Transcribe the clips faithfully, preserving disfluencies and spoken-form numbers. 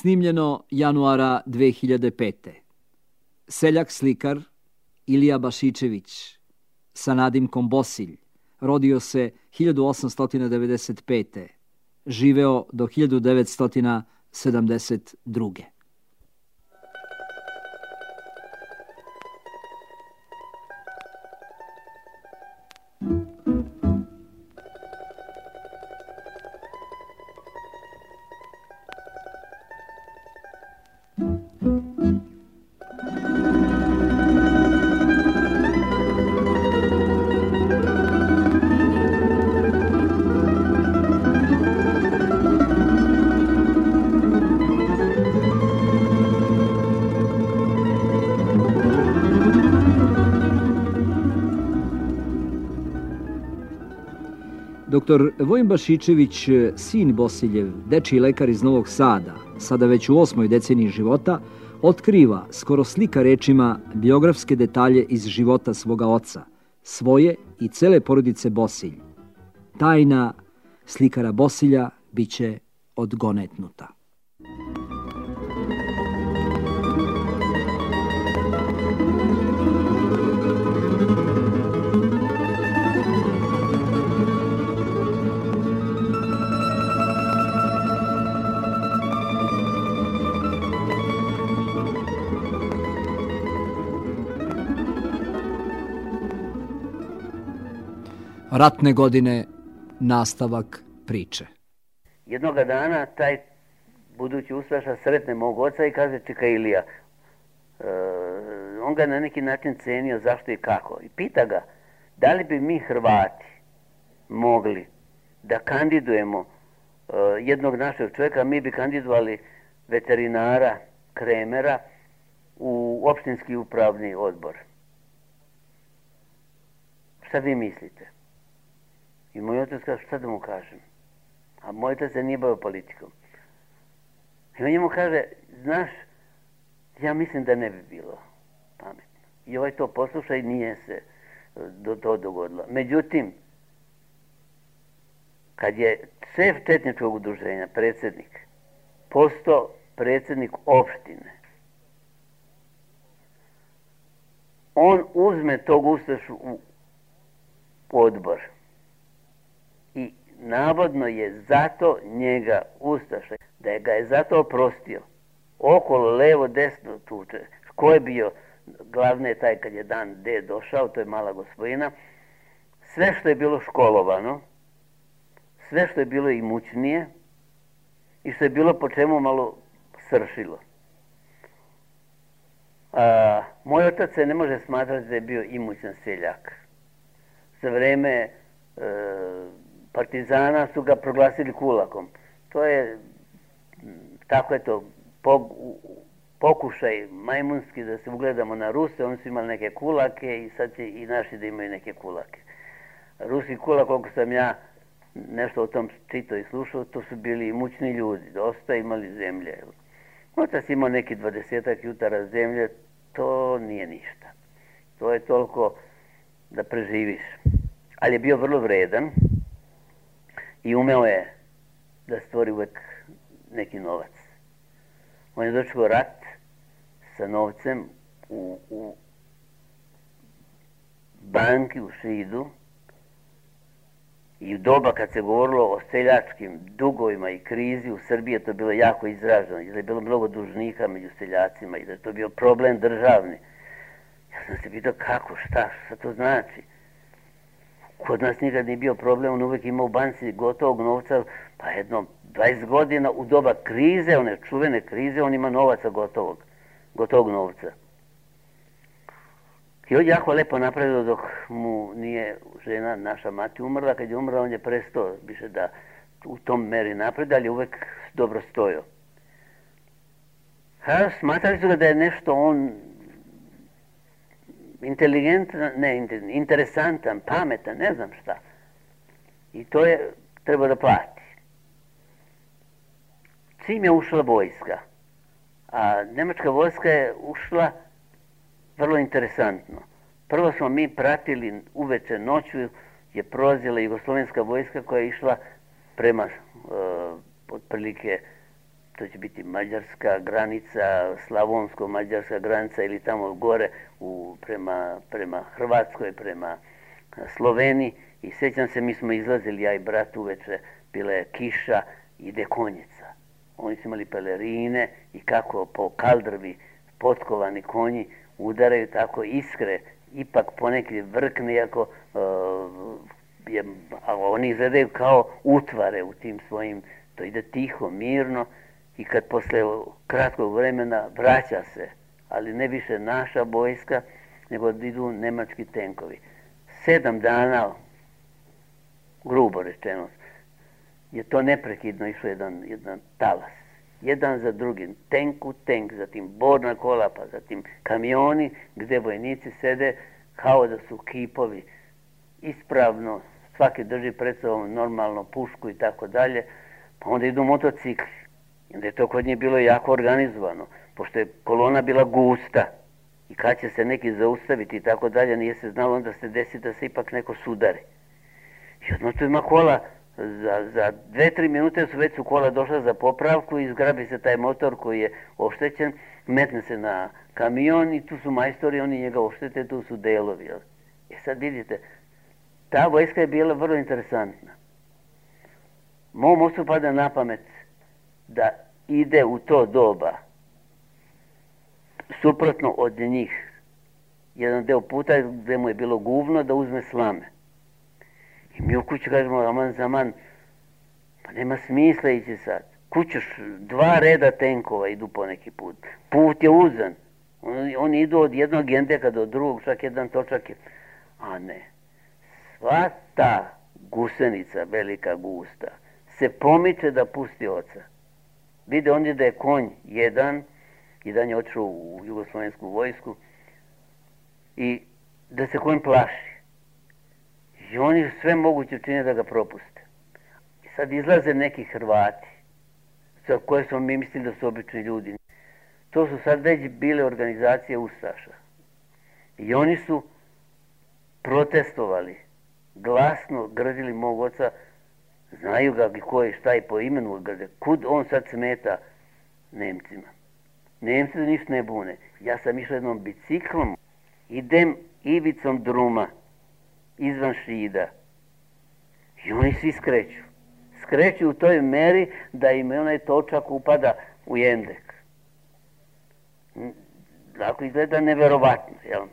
Snimljeno januara dve hiljade pete. Seljak slikar Ilija Bašičević sa nadimkom Bosilj rodio se hiljadu osamsto devedeset pete. Živeo do hiljadu devetsto sedamdeset druge. Doktor Vojin Bašičević, sin Bosiljev, dečiji lekar iz Novog Sada, sada već u osmoj deceniji života, otkriva, skoro slika rečima, biografske detalje iz života svoga oca, svoje i cele porodice Bosilj. Tajna slikara Bosilja biće odgonetnuta. Ratne godine, nastavak priče. Jednoga dana taj budući ustaša sretne mog oca i kaže: čekaj Ilija. E, on ga na neki način cenio zašto i kako. I pita ga da li bi mi Hrvati mogli da kandidujemo e, jednog našeg čovjeka, mi bi kandidovali veterinara Kremera u opštinski upravni odbor. Šta vi mislite? I moj otac kaže: šta da mu kažem? A moj otac se nije bavio politikom. I on njemu kaže: znaš, ja mislim da ne bi bilo pametno. I ovaj to posluša i nije se do to dogodilo. Međutim, kad je šef četničkog udruženja, predsjednik, postao predsjednik opštine, on uzme tog ustašu u odbor. I navodno je zato njega ustaša, da je ga je zato oprostio. Okolo, levo, desno tuče. Ko je bio glavne taj kad je dan D došao, to je mala gospodina. Sve što je bilo školovano, sve što je bilo imućnije i što je bilo po čemu malo sršilo. A, moj otac se ne može smatrati da je bio imućan seljak. Za vreme e, partizana su ga proglasili kulakom. To je, tako je to, pokušaj majmunski da se ugledamo na Ruse. Oni su imali neke kulake i sad će i naši da imaju neke kulake. Ruski kulak, koliko sam ja nešto o tom čitao i slušao, to su bili imućni ljudi, dosta imali zemlje. Otac imao neki dvadesetak jutara zemlje, to nije ništa. To je toliko da preživiš. Ali je bio vrlo vredan i umeo je da stvori uvek neki novac. On je dočekao rat sa novcem u, u banki u Šidu i u doba kad se govorilo o seljačkim dugovima i krizi u Srbiji, to je bilo jako izraženo, i da je bilo mnogo dužnika među seljacima i da je to bio problem državni. Ja sam se pitao kako, šta, šta to znači? Kod nas nikad nije bio problem, on uvek ima u banci gotovog novca, pa jedno dvadeset godina u doba krize, one čuvene krize, on ima novaca gotovog, gotovog novca. I on je jako lepo napravio dok mu nije žena, naša mati, umrla. Kad je umrla, on je prestao više da u tom meri napred, ali je uvek dobro stojao. Ha, smatrali su ga da je nešto on inteligentan, ne, interesantan, pametan, ne znam šta. I to je treba da plati. Čim je ušla vojska, a nemačka vojska je ušla vrlo interesantno. Prvo smo mi pratili uveče, noću je prolazila jugoslovenska vojska koja je išla prema uh, otprilike to će biti mađarska granica, slavonsko-mađarska granica ili tamo gore u, prema, prema Hrvatskoj, prema Sloveniji. I sjećam se, mi smo izlazili, ja i brat uveče, bila je kiša, ide konjica. Oni su imali pelerine i kako po kaldrvi potkovani konji udaraju tako iskre, ipak ponekad vrkne, iako uh, je, a oni izgledaju kao utvare u tim svojim, to ide tiho, mirno i kad posle kratkog vremena vraća se, ali ne više naša vojska, nego idu nemački tenkovi. Sedam dana, grubo rečeno, je to neprekidno išlo jedan, jedan talas. Jedan za drugim, tenk u tenk, zatim borna kola, pa zatim kamioni gdje vojnici sede kao da su kipovi, ispravno, svaki drži pred sobom normalno pušku i tako dalje, pa onda idu motocikli. I onda je to kod njih bilo jako organizovano, pošto je kolona bila gusta i kad će se neki zaustaviti i tako dalje, nije se znalo, onda se desi da se ipak neko sudari. I odmah tu ima kola, za, za dve, tri minute su već su kola došla za popravku i zgrabi se taj motor koji je oštećen, metne se na kamion i tu su majstori, oni njega oštete, tu su delovi. Jel? I sad vidite, ta vojska je bila vrlo interesantna. Mom ocu pada na pamet da ide u to doba suprotno od njih. Jedan deo puta gdje mu je bilo guvno da uzme slame. I mi u kući kažemo, aman zaman, pa nema smisla ići sad. Kućeš, dva reda tenkova idu po neki put. Put je uzan. Oni, oni idu od jednog gendeka do drugog, čak jedan točak je. A ne. Sva ta gusenica, velika gusta, se pomiče da pusti oca. Vide oni da je konj jedan, jedan je otišao u jugoslovensku vojsku, i da se konj plaši. I oni sve moguće čine da ga propuste. I sad izlaze neki Hrvati, za koje smo mi mislili da su obični ljudi. To su sad već bile organizacije ustaša. I oni su protestovali, glasno grdili mog oca, znaju ga ko je šta i po imenu grde, kud on sad smeta Nemcima. Nemci da ništa ne bune. Ja sam išao jednom biciklom, idem ivicom druma, izvan Šida. I oni svi skreću. Skreću u toj meri da im onaj točak upada u jendek. Dakle, izgleda neverovatno, jel?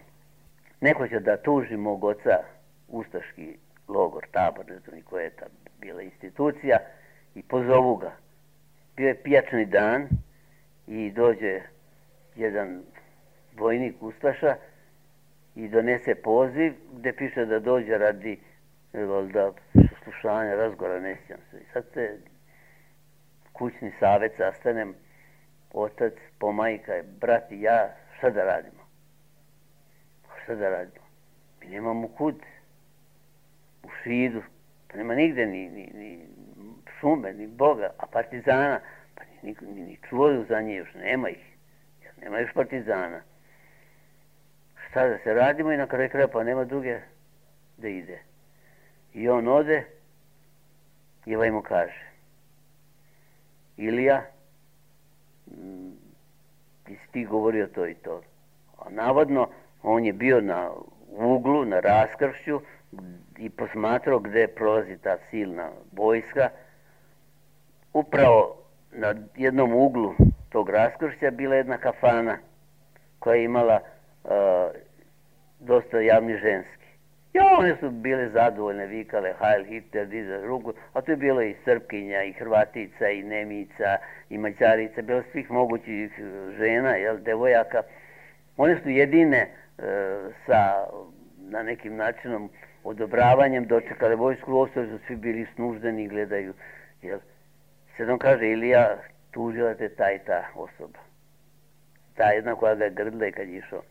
Neko će da tuži mog oca, ustaški logor, tabor, ne znam koja je ta bila institucija, i pozovu ga. Bio je pijačni dan i dođe jedan vojnik ustaša i donese poziv gdje piše da dođe radi da slušanja, razgovora, ne sjećam se. I sad se kućni savjet sastanem, otac, pomajka, brat i ja, šta da radimo? Šta da radimo? Mi nemamo kud. U Šidu, pa nema nigde ni, ni, ni šume, ni Boga, a partizana, pa ni, ni, ni čuju za nje još, nema ih. Jer nema još partizana. Šta da se radimo i na kraju kraja, pa nema druge da ide. I on ode i ovaj mu kaže, Ilija, ti si ti govorio to i to. A navodno, on je bio na uglu, na raskršću i posmatrao gdje prolazi ta silna vojska. Upravo na jednom uglu tog raskršća bila jedna kafana koja je imala uh, dosta javni ženski. I one su bile zadovoljne, vikale Heil Hitler, diza ruku, a tu je bilo i Srpkinja, i Hrvatica, i Nemica, i Mađarica, bilo svih mogućih žena, jel, devojaka. One su jedine e, sa, na nekim načinom, odobravanjem dočekale vojsku, ostali su svi bili snuždeni i gledaju. Jel. Sad on kaže, Ilija, tužila te ta i ta osoba. Ta jedna koja ga je grdla i kad je išao.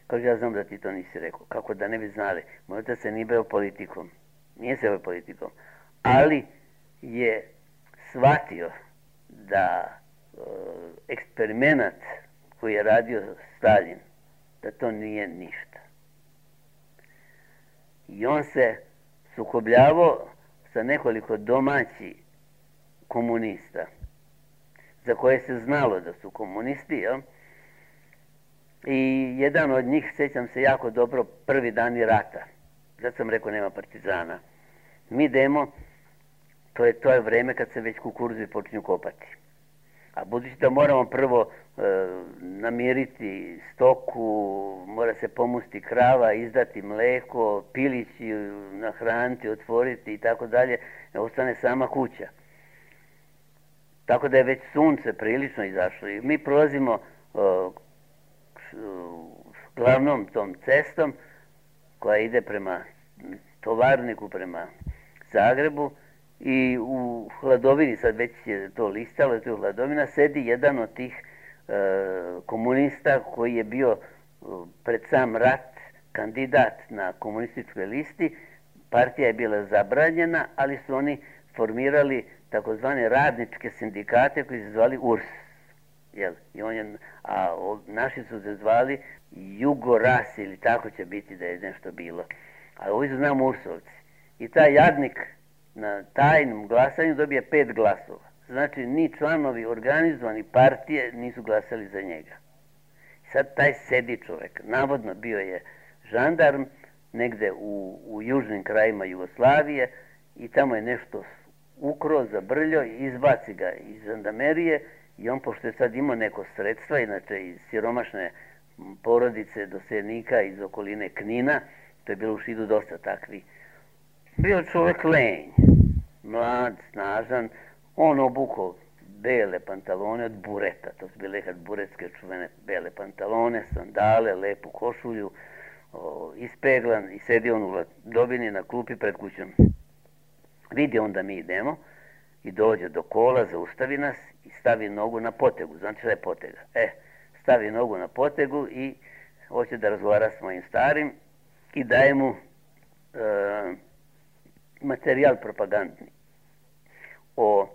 Kaže, ja znam da ti to nisi rekao. Kako da ne bi znali? Moj otac se nije bavio politikom. Nije se bavio politikom. Ali je shvatio da e, eksperimenat koji je radio Stalin, da to nije ništa. I on se sukobljavao sa nekoliko domaćih komunista. za koje se znalo da su komunisti, jel? I jedan od njih, sjećam se jako dobro, prvi dani rata. Zato sam rekao nema partizana. Mi idemo, to je, to je vreme kad se već kukuruzi počinju kopati. A budući da moramo prvo e, namiriti stoku, mora se pomusti krava, izdati mleko, pilići nahraniti, otvoriti i tako dalje, ostane sama kuća. Tako da je već sunce prilično izašlo i mi prolazimo e, glavnom tom cestom koja ide prema Tovarniku, prema Zagrebu i u hladovini, sad već je to listalo, to je hladovina, sedi jedan od tih e, komunista koji je bio e, pred sam rat kandidat na komunističkoj listi. Partija je bila zabranjena, ali su oni formirali takozvane radničke sindikate koji se zvali U R S. Jel? I on je, a o, naši su se zvali Jugoras ili tako će biti da je nešto bilo. A ovi su znam Ursovci. I taj jadnik na tajnom glasanju dobije pet glasova. Znači, ni članovi organizovani partije nisu glasali za njega. I sad taj sedi čovjek, navodno bio je žandarm negde u, u južnim krajima Jugoslavije i tamo je nešto ukro, zabrljio i izbaci ga iz žandarmerije i on, pošto je sad imao neko sredstva, inače iz siromašne porodice doseljenika iz okoline Knina, to je bilo u Šidu dosta takvi, bio čovjek lenj, mlad, snažan, on obukao bele pantalone od bureta, to su bile nekad buretske čuvene bele pantalone, sandale, lepu košulju, o, ispeglan i sedi on u hladovini na klupi pred kućom. Vidi on da mi idemo i dođe do kola, zaustavi nas i stavi nogu na potegu. Znači šta je potega? E, stavi nogu na potegu i hoće da razgovara s mojim starim i daje mu e, materijal propagandni o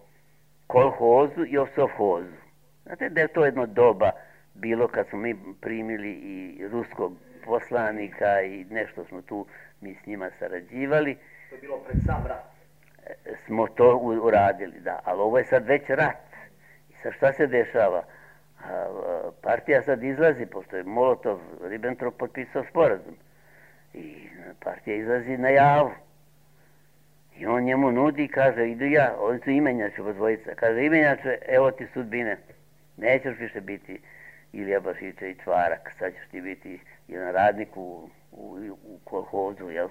kolhozu i o sovhozu. Znate da je to jedno doba bilo kad smo mi primili i ruskog poslanika i nešto smo tu mi s njima sarađivali. To je bilo pred sam rat. Smo to uradili, da, ali ovo je sad već rat. I sad šta se dešava? Partija sad izlazi, pošto je Molotov, Ribbentrop potpisao sporazum. I partija izlazi na javu. I on njemu nudi i kaže, idu ja, oni su imenjače od dvojica. Kaže, imenjače, evo ti sudbine. Nećeš više biti Ilija Bašićević Varak, sad ćeš ti biti jedan radnik u, u, u kolhozu, jel?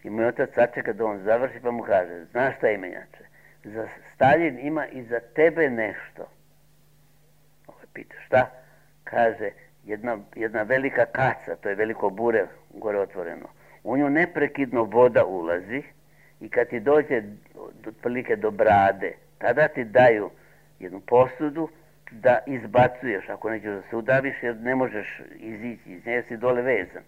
I moj otac sačeka da on završi pa mu kaže, znaš šta imenjače, za Staljin ima i za tebe nešto. Ovo pita, šta? Kaže, jedna, jedna velika kaca, to je veliko bure gore otvoreno. U nju neprekidno voda ulazi i kad ti dođe otprilike do brade, tada ti daju jednu posudu da izbacuješ, ako nećeš da se udaviš jer ne možeš izići, iz nje si dole vezan.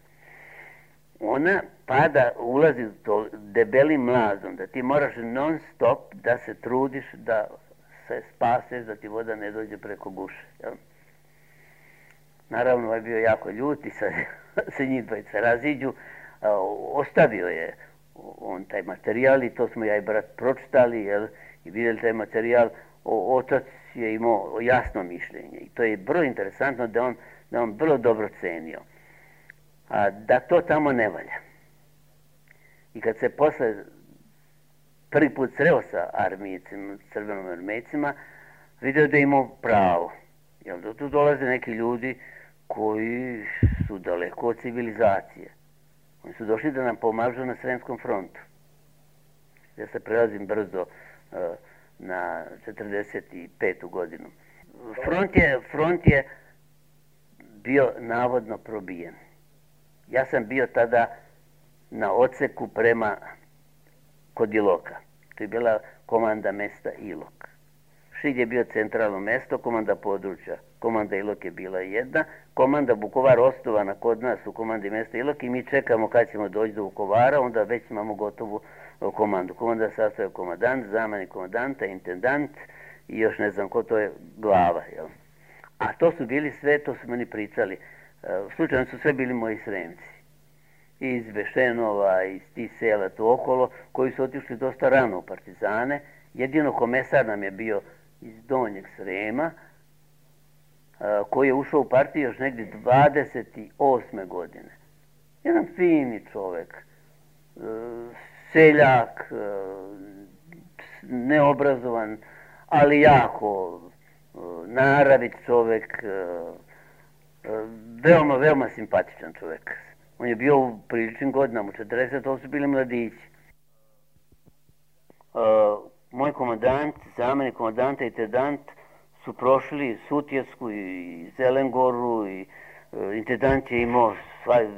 Ona pada, ulazi to debelim mlazom, da ti moraš non stop da se trudiš da se spaseš, da ti voda ne dođe preko guše. Jel? Naravno, ovaj bio jako ljut i sad se njih dvojica raziđu. Ostavio je on taj materijal i to smo ja i brat pročitali, jel, i vidjeli taj materijal. O, otac je imao jasno mišljenje i to je vrlo interesantno da on, da on vrlo dobro cenio. A da to tamo ne valja. I kad se posle prvi put sreo sa armijicima, crvenom armijicima, vidio da je imao pravo. Jel, da tu dolaze neki ljudi koji su daleko od civilizacije. Oni su došli da nam pomažu na Sremskom frontu. Ja se prelazim brzo uh, na četrdeset petu godinu. Front je, front je bio navodno probijen. Ja sam bio tada na odseku prema kod Iloka. To je bila komanda mesta Ilok. Šid je bio centralno mesto, komanda područja. Komanda Ilok je bila jedna. Komanda Vukovar osnovana kod nas u komandi mesta Ilok i mi čekamo kad ćemo doći do Vukovara, onda već imamo gotovu komandu. Komanda sastavlja komandant, zamenik komandanta, intendant i još ne znam ko, to je glava. Jel? A to su bili sve, to su meni pričali. Slučajno su sve bili moji Sremci. Iz Bešenova, iz tih sela tu okolo, koji su otišli dosta rano u partizane. Jedino komesar nam je bio iz Donjeg Srema, koji je ušao u partiju još negdje dvadeset osme godine. Jedan fini čovek, seljak, neobrazovan, ali jako naravit čovek, veoma, veoma simpatičan čovek. On je bio u priličnim godinama, u četrdeset, to su bili mladići. Moj komandant, zamenik komandanta i intendant su prošli Sutjesku i Zelengoru i intendant je imao,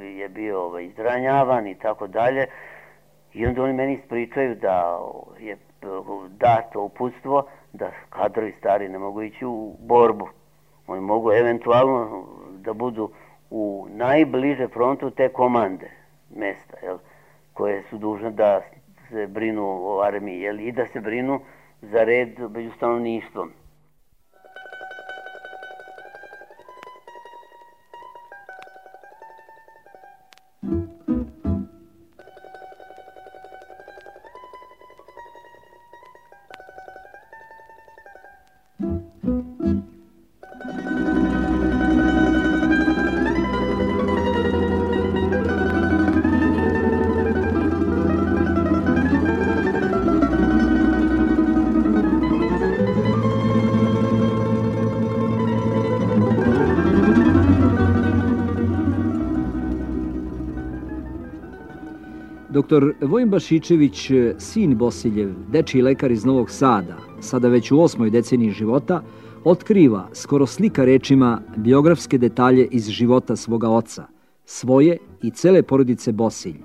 je bio izranjavan i tako dalje. I onda oni meni ispričaju da je dato uputstvo da kadrovi stari ne mogu ići u borbu. Oni mogu eventualno da budu u najbliže frontu te komande mesta, jel, koje su dužne da se brinu o armiji, jel, i da se brinu za red među stanovništvom. Doktor Vojin Bašičević, sin Bosiljev, dečiji lekar iz Novog Sada, sada već u osmoj deceniji života, otkriva, skoro slika rečima, biografske detalje iz života svoga oca, svoje i cele porodice Bosilj.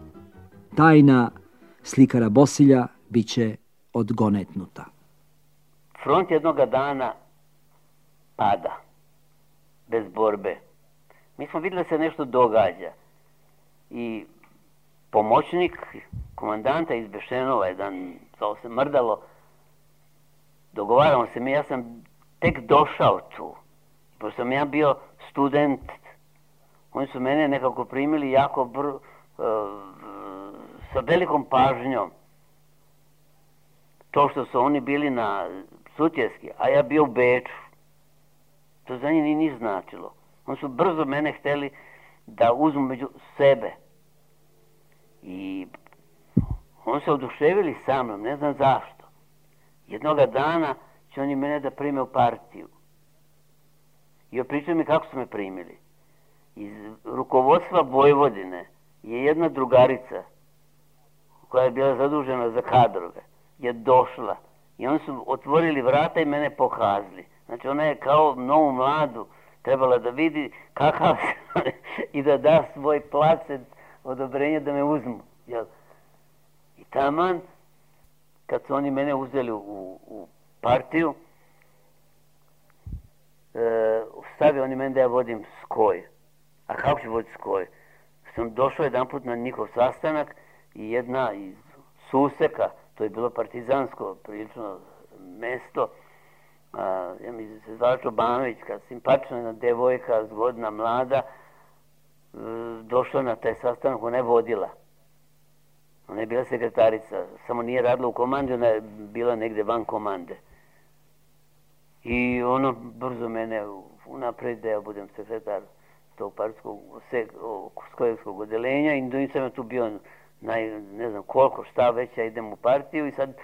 Tajna slikara Bosilja biće odgonetnuta. Front jednoga dana pada, bez borbe. Mi smo vidjeli da se nešto događa i pomoćnik komandanta iz Bešenova, jedan, zove se Mrdalo, dogovaramo se mi, ja sam tek došao tu, pošto sam ja bio student, oni su mene nekako primili jako br, uh, sa velikom pažnjom. To što su oni bili na Sutjeski, a ja bio u Beču, to za njih nije značilo. Oni su brzo mene htjeli da uzmu među sebe. I oni se oduševili sa mnom, ne znam zašto. Jednoga dana će oni mene da prime u partiju. I opričaju mi kako su me primili. Iz rukovodstva Vojvodine je jedna drugarica koja je bila zadužena za kadrove, je došla i oni su otvorili vrata i mene pohazli. Znači ona je kao novu mladu trebala da vidi kakav i da da svoj placet odobrenje da me uzmu. Jel? I taman, kad su oni mene uzeli u, u partiju, e, stavio oni mene da ja vodim skoj. A kako ću voditi skoj? Sam došao jedan put na njihov sastanak i jedna iz Suseka, to je bilo partizansko prilično mesto, a, ja mi se zvala Čobanović, simpatična jedna devojka, zgodna, mlada, došla na taj sastanak, ona je vodila. Ona je bila sekretarica, samo nije radila u komandi, ona je bila negde van komande. I ono brzo mene unapred da ja budem sekretar tog partijskog skojevskog odelenja i nisam ja tu bio naj, ne znam koliko, šta već, ja idem u partiju i sad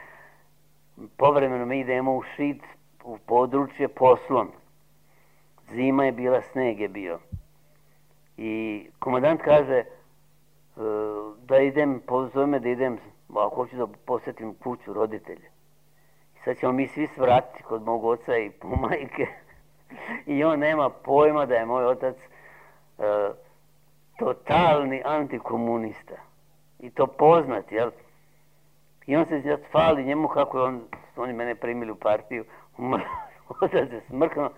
povremeno mi idemo u Šid, u područje poslom. Zima je bila, sneg je bio. I komandant kaže da idem, pozove me da idem, ako hoću da posjetim kuću, roditelje. I sad ćemo mi svi svratiti kod mog oca i majke. I on nema pojma da je moj otac uh, totalni antikomunista. I to poznat, jel? I on se fali njemu kako je on, oni mene primili u partiju. Otac se smrknuo.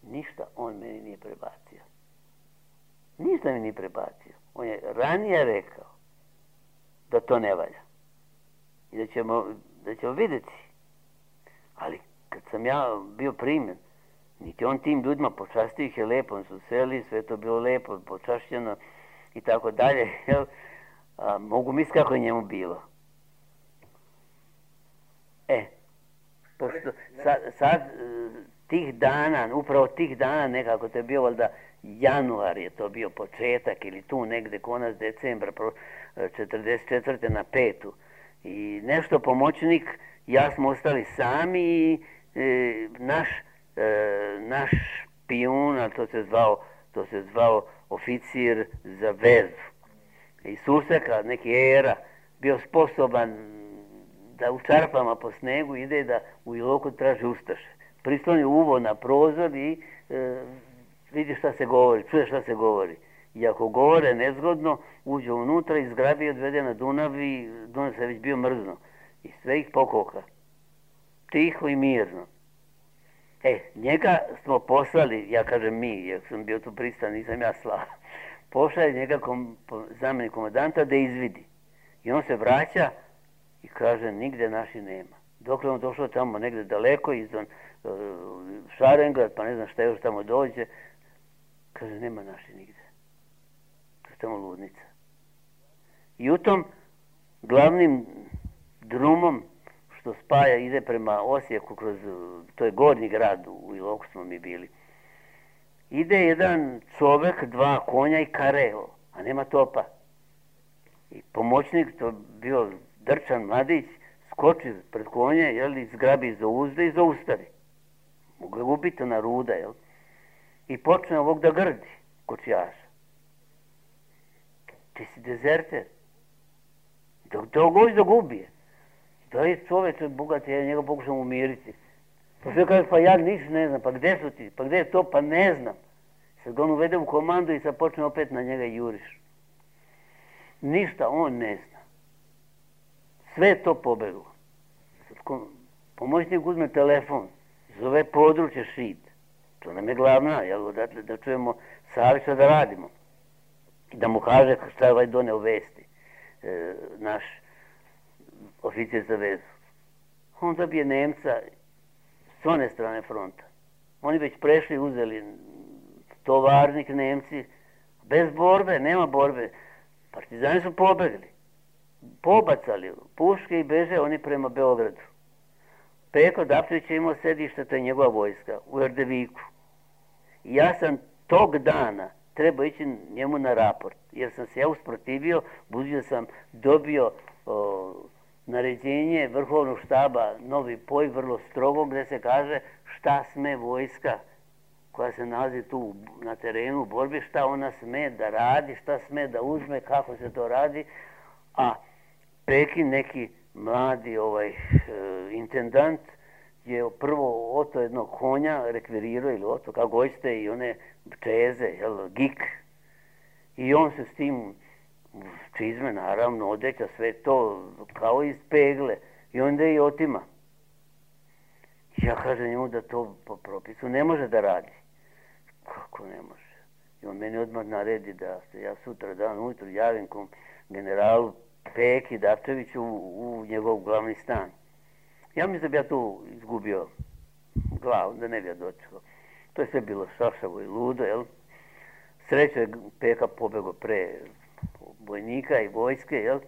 Ništa on meni nije prebacio. Ništa mi nije prebacio. On je ranije rekao da to ne valja. I da ćemo, da ćemo vidjeti. Ali kad sam ja bio primjen, niti on tim ljudima počastio ih je lepo, oni su seli, sve to bilo lepo, počašćeno i tako dalje. A, mogu misliti kako je njemu bilo. E, pošto sad, sad tih dana, upravo tih dana nekako, to je bio valjda januar je to bio početak ili tu negde konac decembra četrdeset četvrte na petu. I nešto pomoćnik, ja smo ostali sami i e, naš, e, naš špijun, a to se zvao, to se zvao oficir za vezu. I Suseka, neki era, bio sposoban da u čarpama po snegu ide da u Iloku traži ustaše. Prisloni uvo na prozor i e, vidi šta se govori, čuje šta se govori. I ako govore nezgodno, uđe unutra i zgrabi i odvede na Dunav i Dunav se već bio mrzno. I sve ih pokoka. Tiho i mirno. E, njega smo poslali, ja kažem mi, jer sam bio tu pristan, nisam ja slao. Pošao je njega kom, zamjenik komandanta da izvidi. I on se vraća i kaže, nigde naši nema. Dok je on došao tamo negde daleko, izvan uh, Šarengrad, pa ne znam šta još tamo dođe, kaže, nema naši nigde. To je tamo ludnica. I u tom glavnim drumom što spaja, ide prema Osijeku kroz, to je gornji grad, u Iloku smo mi bili, ide jedan čovek, dva konja i kareo, a nema topa. I pomoćnik, to bio drčan mladić, skoči pred konje, jel, i zgrabi za uzde i zaustavi. Mogu je ubiti na ruda, jel? I počne ovog da grdi, kočijaša. Ti si dezerter. Dok to goći da gubije. Da je čoveč bogat, ja njega pokušam umiriti. Pa sve kaže, pa ja ništa ne znam, pa gde su ti, pa gde je to, pa ne znam. Sad ga on uvede u komandu i sad počne opet na njega juriš. Ništa on ne zna. Sve je to pobeglo. Pomoćnik uzme telefon, zove područje Šid. To nam je glavna, jel, da, da čujemo savjet šta da radimo. I da mu kaže šta je ovaj doneo vesti, e, naš oficir za vezu. On dobije Nemca s one strane fronta. Oni već prešli, uzeli tovarnik Nemci, bez borbe, nema borbe. Partizani su pobegli, pobacali puške i beže oni prema Beogradu. Peko Dapčević je imao sedište, to je njegova vojska, u Erdeviku. I ja sam tog dana trebao ići njemu na raport, jer sam se ja usprotivio, budući da sam dobio o, naređenje Vrhovnog štaba Novi Poj, vrlo strogo, gde se kaže šta sme vojska koja se nalazi tu na terenu u borbi, šta ona sme da radi, šta sme da uzme, kako se to radi. A Pekin, neki mladi ovaj, e, intendant, je prvo oto jednog konja rekvirirao, ili oto, kako hoćete, i one čeze, jel, gik. I on se s tim čizme, naravno, odeća, sve to, kao iz pegle. I onda je i otima. Ja kažem njemu da to po propisu ne može da radi. Kako ne može? I on meni odmah naredi da se ja sutra dan ujutru javim kom generalu Peki Dapčeviću u, u njegov glavni stan. Ja mislim da bi ja tu izgubio glavu, da ne bi ja dočekao. To je sve bilo šašavo i ludo, jel? Sreća je Peka pobegao pre vojnika i vojske, jel?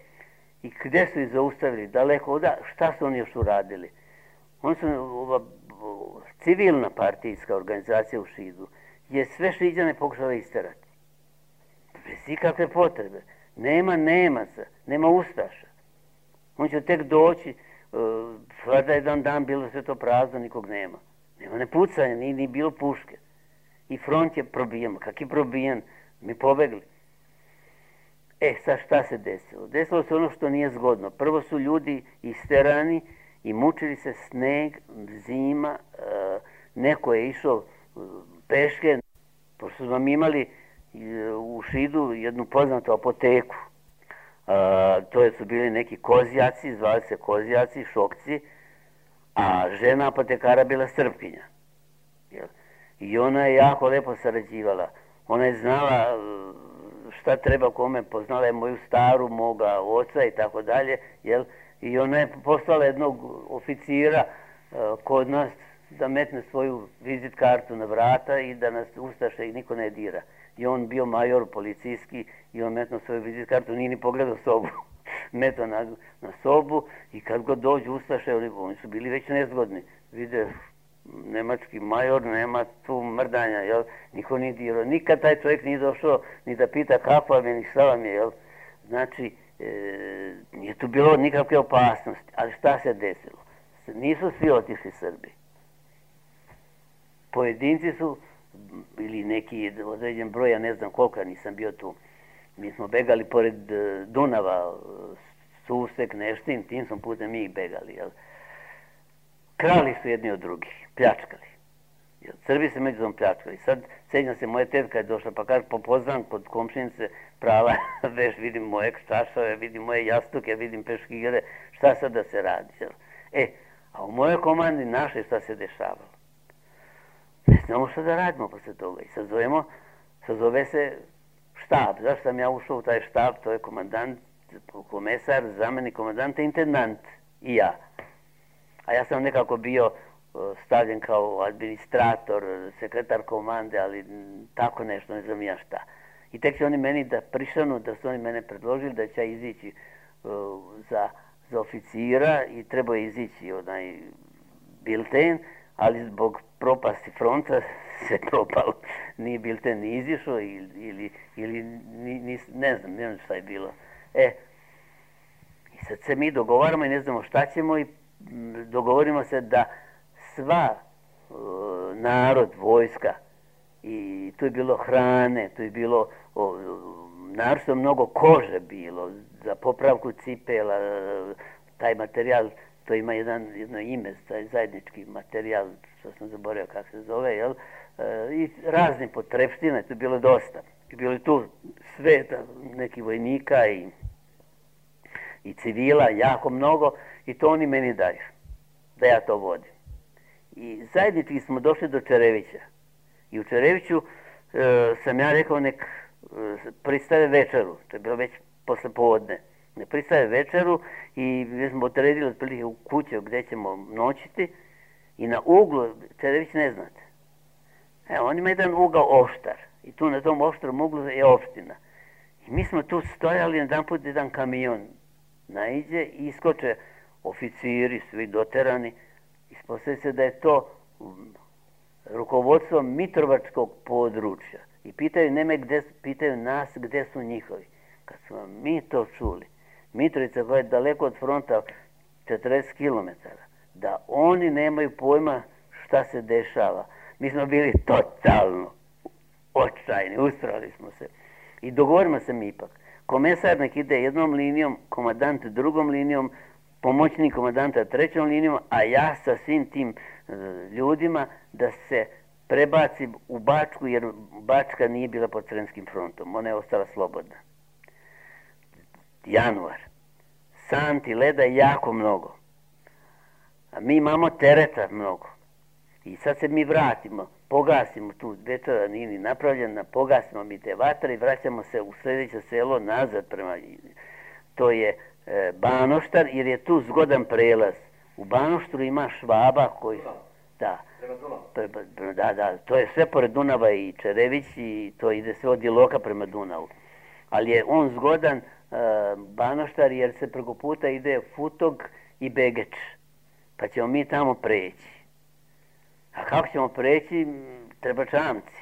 I gde su ih zaustavili? Daleko oda, šta su oni još uradili? Oni su, ova civilna partijska organizacija u Šidu je sve Šiđane pokušala isterati. Bez ikakve potrebe. Nema Nemaca, nema Ustaša. On će tek doći, vlada jedan dan bilo sve to prazno, nikog nema. Nema ne pucanja, ni, ni bilo puške. I front je probijen. Kak je probijen? Mi pobegli. E, sad šta se desilo? Desilo se ono što nije zgodno. Prvo su ljudi isterani i mučili se sneg, zima, neko je išao peške, pošto smo imali u Šidu jednu poznatu apoteku. A, to su bili neki kozjaci, zvali se kozjaci, šokci, a žena apotekara bila Srpkinja. Jel? I ona je jako lepo sarađivala. Ona je znala šta treba kome, poznala je moju staru, moga oca i tako dalje, jel? I ona je poslala jednog oficira uh, kod nas da metne svoju vizit kartu na vrata i da nas ustaše i niko ne dira. I on bio major policijski i on metno svoju vizit kartu, nije ni pogledao sobu. meto na, na sobu i kad god dođu ustaše, oni, oni su bili već nezgodni. Vide, nemački major, nema tu mrdanja, jel? Niko nije dirao. Nikad taj čovjek nije došao ni da pita kako vam je, ni šta vam je, jel? Znači, e, nije tu bilo nikakve opasnosti. Ali šta se desilo? Nisu svi otišli Srbi. Pojedinci su, ili neki određen broj, ja ne znam koliko, nisam bio tu. Mi smo begali pored Dunava, Susek, Neštin, tim smo putem mi ih begali, jel? Krali su jedni od drugih, pljačkali. Jel? Srbi se međusobno pljačkali. Sad, sjećam se, moja tetka je došla, pa kaže, popoznam kod komšinice prava, veš, vidim moje čašave, vidim moje jastuke, vidim peškire, šta sad da se radi, jel? E, a u mojoj komandi našoj šta se dešavalo? Ne znamo šta da radimo posle toga. I sad zovemo, sad zove se štab. Zašto sam ja ušao u taj štab? To je komandant, komesar, zamenik komandanta, intendant i ja. A ja sam nekako bio stavljen kao administrator, sekretar komande, ali tako nešto, ne znam ja šta. I tek će oni meni da prišanu, da su oni mene predložili da će ja izići uh, za, za oficira i treba izići onaj bilten, ali zbog propasti fronta se propalo. Nije bilten ni izišao ili, ili, ili ni, ni, ne znam, ne znam šta je bilo. E, i sad se mi dogovaramo i ne znamo šta ćemo i dogovorimo se da sva uh, narod, vojska, i tu je bilo hrane, tu je bilo o, naročito mnogo kože bilo za popravku cipela, taj materijal, to ima jedan, jedno ime, taj zajednički materijal, što sam zaboravio kako se zove, jel? E, i razne potrepštine, tu je bilo dosta. I bilo je tu sveta, neki vojnika i, i civila, jako mnogo, i to oni meni daju, da ja to vodim. I zajednički smo došli do Čerevića. I u Čereviću e, sam ja rekao nek e, pristave večeru, to je bilo već posle povodne. Ne pristave večeru i mi smo odredili otprilike u kuću gdje ćemo noćiti i na uglu, Čerević ne znate. Evo, on ima jedan ugao oštar i tu na tom oštrom uglu je opština. I mi smo tu stojali, jedan put jedan kamion naiđe i iskoče oficiri, svi doterani. Ispostavlja se da je to rukovodstvo Mitrovačkog područja. I pitaju, nema gde, pitaju nas gde su njihovi. Kad smo mi to čuli, Mitrovica koja je daleko od fronta četrdeset kilometara, da oni nemaju pojma šta se dešava. Mi smo bili totalno očajni, ustrali smo se. I dogovorimo se mi ipak. Komesar nek ide jednom linijom, komandant drugom linijom, pomoćnik komandanta trećom linijom, a ja sa svim tim e, ljudima da se prebacim u Bačku, jer Bačka nije bila pod Sremskim frontom, ona je ostala slobodna. Januar. Santi, leda jako mnogo. A mi imamo tereta mnogo. I sad se mi vratimo, pogasimo tu, večera nije ni napravljena, pogasimo mi te vatre i vraćamo se u sljedeće selo nazad prema... To je e, Banoštar, jer je tu zgodan prelaz. U Banoštru ima Švaba koji... Da, da, da, to je sve pored Dunava i Čerević i to ide sve od Iloka prema Dunavu. Ali je on zgodan uh, Banoštar jer se preko puta ide Futog i Begeč. Pa ćemo mi tamo preći. A kako ćemo preći? Treba čamci.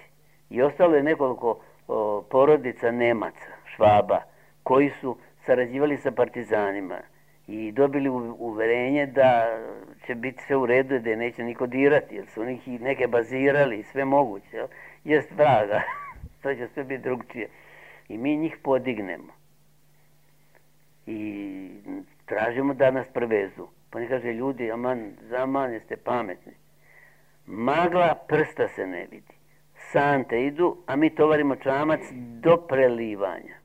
I ostalo je nekoliko o, porodica Nemaca, Švaba, koji su sarađivali sa partizanima i dobili uverenje da će biti sve u redu, da je neće niko dirati, jer su njih neke bazirali i sve moguće. Jel? Jest vraga, to će sve biti drugčije. I mi njih podignemo. I tražimo da nas prevezu. Pa ne kaže, ljudi, aman, zaman, jeste pametni. Magla, prsta se ne vidi. Sante idu, a mi tovarimo čamac do prelivanja.